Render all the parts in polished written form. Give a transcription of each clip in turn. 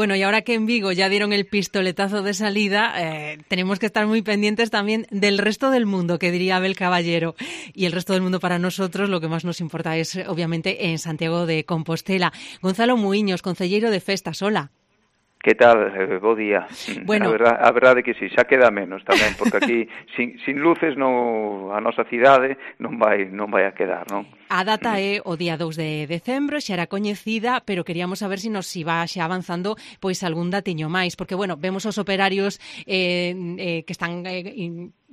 Bueno, y ahora que en Vigo ya dieron el pistoletazo de salida, tenemos que estar muy pendientes también del resto del mundo, que diría Abel Caballero. Y el resto del mundo para nosotros lo que más nos importa es, obviamente, en Santiago de Compostela. Gonzalo Muiños, concelleiro de Festas, hola. Que tal? Bo día. Bueno, A verdade que si, xa queda menos tamén, porque aquí sin luces a nosa cidade non vai a quedar, non? A data é o día 2 de decembro, xa era coñecida, pero queríamos saber se nos iba xa avanzando pois algún datiño máis, porque, bueno, vemos os operarios que están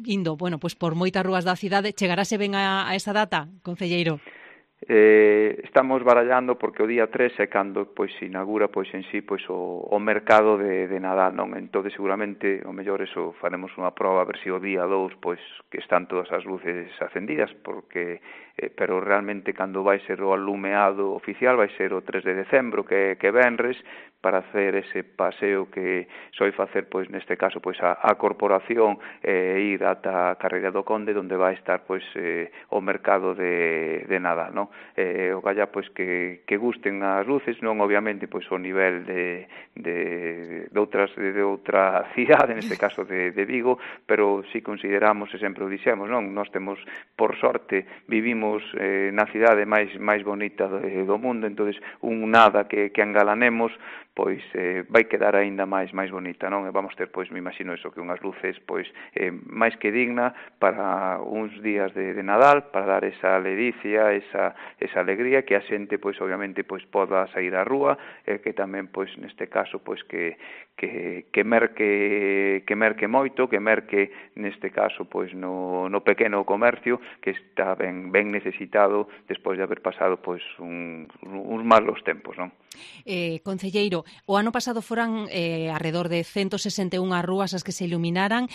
indo, bueno, pois por moitas rúas da cidade. Chegarase ben a esa data, concelleiro? Estamos barallando porque o día 3 é cando pois se inaugura pois en sí pois o mercado de Nadal, non? Entón seguramente o mellor eso faremos unha proba a ver se o día 2 pois que están todas as luces acendidas, porque pero realmente cando vai ser o alumeado oficial vai ser o 3 de decembro, que venres, para hacer ese paseo que soi facer pois neste caso pois a corporación ir ata a Carreira do Conde, onde vai estar pois o mercado de Nadal, non? O galla pois que gusten as luces, non obviamente pois o nivel de outra cidade, neste caso de Vigo, pero si consideramos, e sempre o dixemos, non? Nós temos, por sorte, vivimos na cidade máis bonita do mundo, entonces un nada que engalanemos pois vai quedar aínda máis bonita, non? E vamos ter, pois, me imagino eso, que unhas luces, pois, máis que digna para uns días de Nadal, para dar esa ledicia, esa alegría, que a xente, pois, obviamente, pois, poda sair á rúa, que tamén, pois, neste caso, pois, que merque moito, que merque, neste caso, pois, no pequeno comercio, que está ben necesitado despois de haber pasado, pois, uns malos tempos, non? Concelleiro, o ano pasado foran arredor de 161 rúas as que se iluminaran.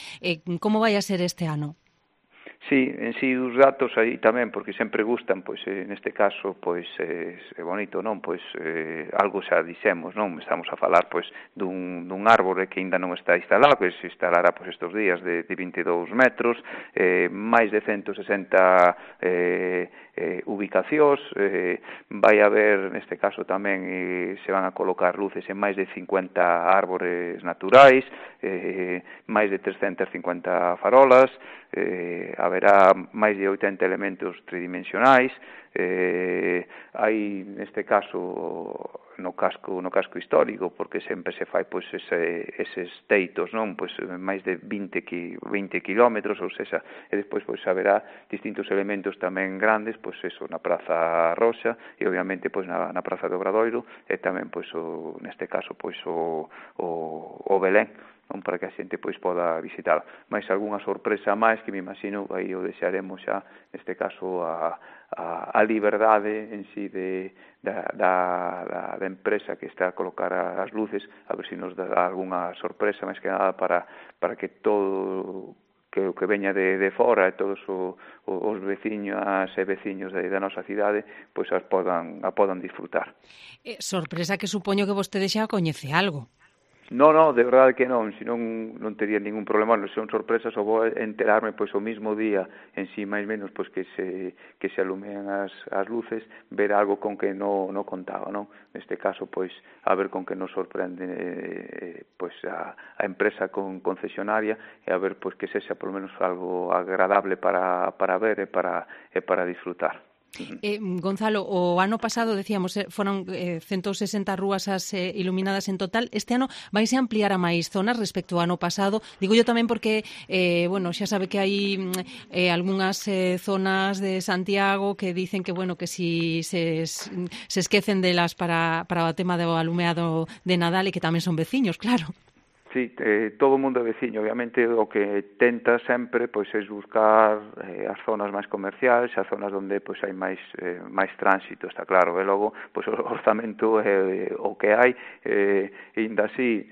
Como vai a ser este ano? Sí, en sí os datos aí tamén, porque sempre gustan, pois neste caso, pois é bonito, non? Pois algo xa dixemos, non? Estamos a falar, pois, dun árbore que ainda non está instalado, que se instalará, pois, estes días de 22 metros, máis de 160 ubicacións, vai haber, neste caso tamén, se van a colocar luces en máis de 50 árbores naturais, máis de 350 farolas, haberá máis de 80 elementos tridimensionais, hai neste caso no casco histórico, porque sempre se fai pois eses teitos, non? Pois máis de 20 kilómetros, ou seja, e despois pois haberá distintos elementos tamén grandes, pois eso, na Praza Roxa e obviamente pois na Praza do Obradoiro, e tamén pois neste caso pois o Belén, non, para que a xente pois poda visitar. Mais algunha sorpresa máis que me imagino aí o deixaremos xa, neste caso a liberdade en sí da empresa que está a colocar as luces, a ver se nos dá algunha sorpresa, máis que nada para que todo que o que veña de fora e todos os veciñas e veciños da nosa cidade pois a podan disfrutar. Sorpresa que supoño que vostede xa coñece algo. No, de verdade que non, senón non tería ningún problema, non son sorpresas, ou vou enterarme pois o mismo día en sí, máis menos, pois que se alumean as luces, ver algo con que non contaba, non? Neste caso, pois, a ver con que nos sorprende pois a empresa concesionaria, e a ver pois que sexa polo menos algo agradable para ver e para disfrutar. Gonzalo, o ano pasado, decíamos, foron 160 rúas as iluminadas en total. Este ano vaise ampliar a máis zonas respecto ao ano pasado. Digo yo tamén porque, bueno, xa sabe que hai algunhas zonas de Santiago que dicen que, bueno, que si se esquecen delas para o tema do alumeado de Nadal e que tamén son veciños, claro. Sí, todo o mundo é veciño, obviamente o que tenta sempre pois é buscar as zonas máis comerciais, as zonas onde pois hai máis tránsito, está claro, e logo pois o orzamento é o que hai, e ainda así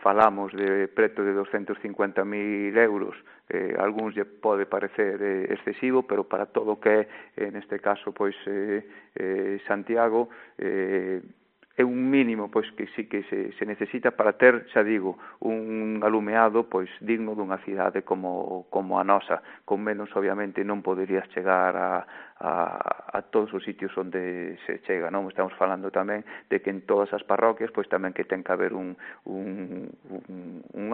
falamos de preto de 250.000 euros, algúns lle pode parecer excesivo, pero para todo o que é neste caso pois Santiago é un mínimo pois que sí que se necesita para ter, xa digo, un alumeado pois digno dunha cidade como a nosa. Con menos, obviamente, non poderías chegar a todos os sitios onde se chega, non? Estamos falando tamén de que en todas as parroquias pois tamén que ten que haber un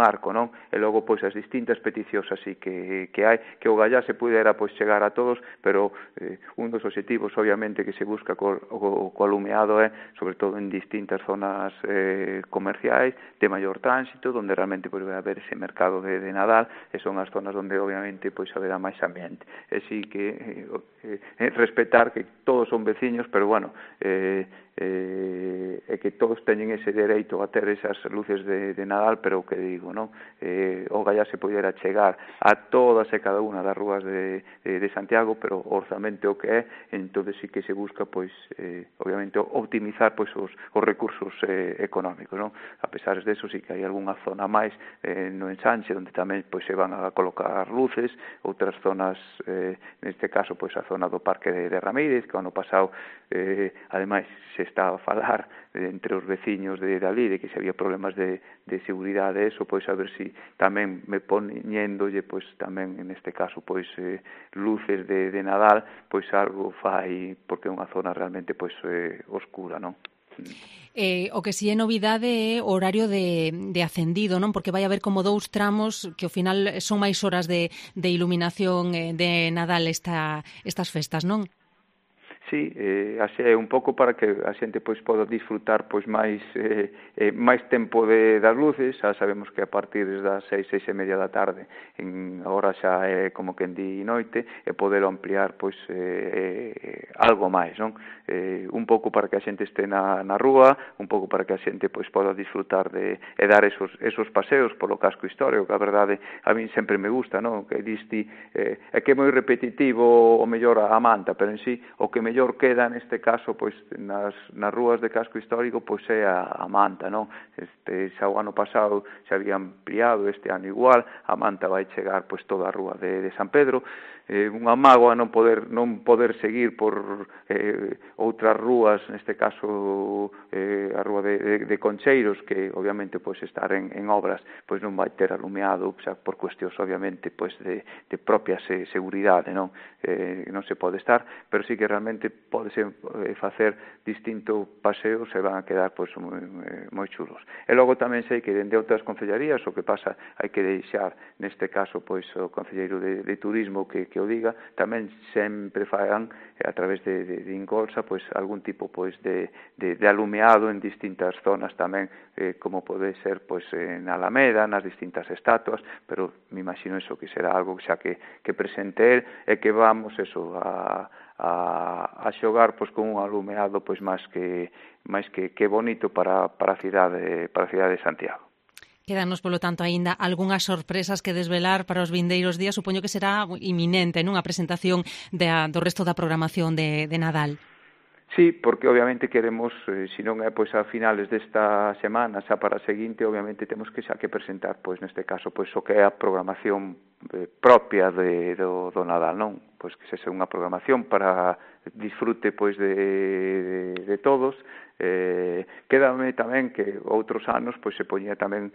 arco, non? E logo pois as distintas peticións así que hai, que o Gallá se pudera pois chegar a todos, pero un dos obxectivos obviamente que se busca co alumeado é sobre todo en distintas zonas comerciais de maior tránsito, onde realmente pois vai haber ese mercado de Nadal, e son as zonas onde obviamente pois haberá máis ambiente. E si que respetar que todos son veciños, pero bueno, e que todos teñen ese dereito a ter esas luces de Nadal, pero o que digo, non? O Gallá se pudera chegar a todas e cada unha das rúas de Santiago, pero o orzamento o que é, entón sí que se busca, pois, obviamente, optimizar pois os recursos económicos, non? A pesar de eso, sí que hai algunha zona máis no ensanche, onde tamén pois se van a colocar luces, outras zonas, neste caso, pois a zona do Parque de Ramírez, que ano pasado, ademais, se está a falar entre os veciños de ali, de que se había problemas de seguridade, eso, pois a ver si tamén me poñéndolle, pois tamén neste caso, pois luces de Nadal, pois algo fai, porque é unha zona realmente pois oscura, non? O que si é novidade é o horario de acendido, non? Porque vai haber como 2 tramos que ao final son máis horas de iluminación de Nadal estas festas, non? Sí, así é un pouco para que a xente pois poda disfrutar pois máis tempo das luces. Xa sabemos que a partir das 6:30 da tarde, agora xa é como que en di noite, e poder ampliar pois algo máis, non? Un pouco para que a xente este na rúa, un pouco para que a xente pois poda disfrutar e dar esos paseos polo casco histórico, que a verdade a min sempre me gusta, non? Que disti é que é moi repetitivo o mellor a Manta, pero en sí o que mellor queda neste caso pois nas rúas de casco histórico pois é a Manta, non? Xa o ano pasado se había ampliado, este ano igual, a Manta vai chegar pois toda a rúa de San Pedro. Unha mágoa non poder seguir por outras rúas, neste caso a rúa de Concheiros, que obviamente pois estar en obras pois non vai ter alumeado, xa por cuestións obviamente pois de propia seguridade, non? Non se pode estar, pero sí que realmente podese facer distinto paseo, se van a quedar pois moi chulos. E logo tamén sei que dende outras concellarías o que pasa hai que deixar neste caso pois o concelleiro de turismo que o diga, tamén sempre fagan a través de Ingolsa pois algún tipo pois de alumeado en distintas zonas tamén, como pode ser pois na Alameda, nas distintas estatuas, pero me imagino eso que será algo xa que presente e que vamos eso a xogar pois con un alumeado pois máis que bonito para a cidade de Santiago. Quédanos, polo tanto, aínda algunhas sorpresas que desvelar para os vindeiros días. Supoño que será inminente, non? A presentación do resto da programación de Nadal. Sí, porque obviamente queremos, se non é pois a finales desta semana, xa para a seguinte, obviamente temos que xa que presentar, pois neste caso, pois o que é a programación propia do Nadal, non? Pois que sexa unha programación para disfrute pois de todos. Quédame tamén que outros anos pois se poñía tamén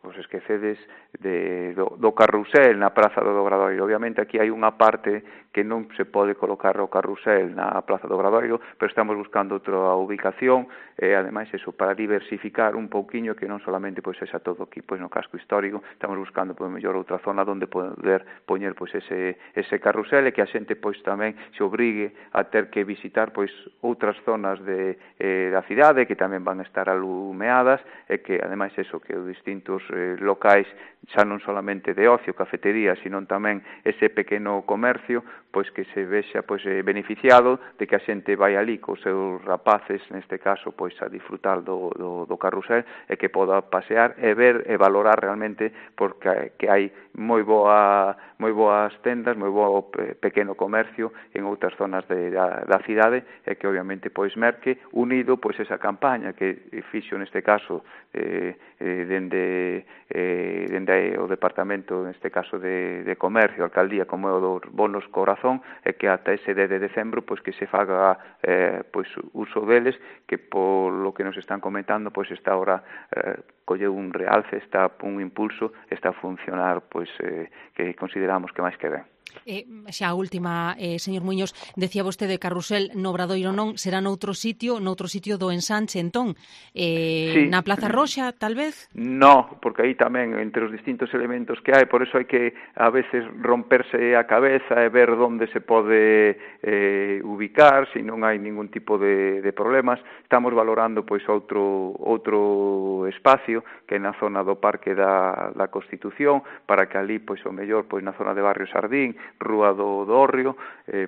pois esquecedes do carrusel na Praza do Obradoiro. Obviamente aquí hai unha parte que non se pode colocar o carrusel na Praza do Obradoiro, pero estamos buscando outra ubicación e ademais eso para diversificar un pouquiño, que non solamente pois esa todo aquí pois no casco histórico, estamos buscando pois mellor outra zona onde poder poñer pois ese carrusel e que a xente pois tamén se obrigue a ter que visitar pois outras zonas da cidade que tamén van a estar alumeadas e que ademais eso que os distintos locais xa non solamente de ocio, cafetería, sino tamén ese pequeno comercio, pois que se vexa pois beneficiado de que a xente vai ali cos seus rapaces, neste caso, pois a disfrutar do carrusel e que poda pasear e ver e valorar realmente porque que hai moi boas tendas, moi bo pequeno comercio en outras zonas da cidade e que obviamente pois merque unido pois esa campaña que fixo neste caso dende o departamento, neste caso de comercio, alcaldía, como é o dos bonos corazón, e que ata ese 10 de decembro pois que se faga pois uso deles, que polo que nos están comentando pois está ahora colleu un realce, está un impulso, está a funcionar pois que consideramos que máis que ben. Xa a última, señor Muiños, decía vostede Carrusel no Obradoiro non, será noutro sitio do ensanche, entón, Sí. na Plaza Roxa, tal vez? No, porque aí tamén, entre os distintos elementos que hai, por eso hai que a veces romperse a cabeza e ver onde se pode ubicar, se non hai ningún tipo de problemas. Estamos valorando pois outro espacio que é na zona do Parque da Constitución, para que ali, pois o mellor, pois na zona de Barrio Sardín, Rúa do Hórreo,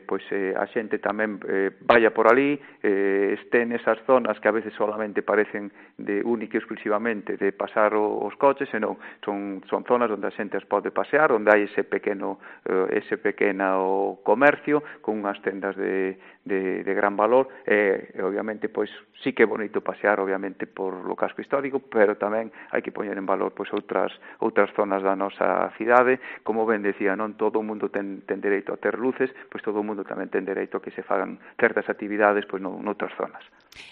pois a xente tamén vaya por ali, este nesas zonas que a veces solamente parecen de única e exclusivamente de pasar os coches, senón son zonas onde a xente as pode pasear, onde hai ese pequeno comercio con unhas tendas de gran valor, e obviamente pois sí que é bonito pasear obviamente por lo casco histórico, pero tamén hai que poñer en valor pois outras zonas da nosa cidade. Como ben decía, non todo o mundo ten dereito a ter luces, pois todo o mundo tamén ten dereito a que se fagan certas actividades pois noutras zonas.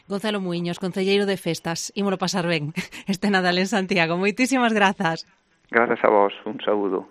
Gonzalo Muiños, concelleiro de Festas, ímolo pasar ben este Nadal en Santiago. Moitísimas grazas. Grazas a vos, un saúdo.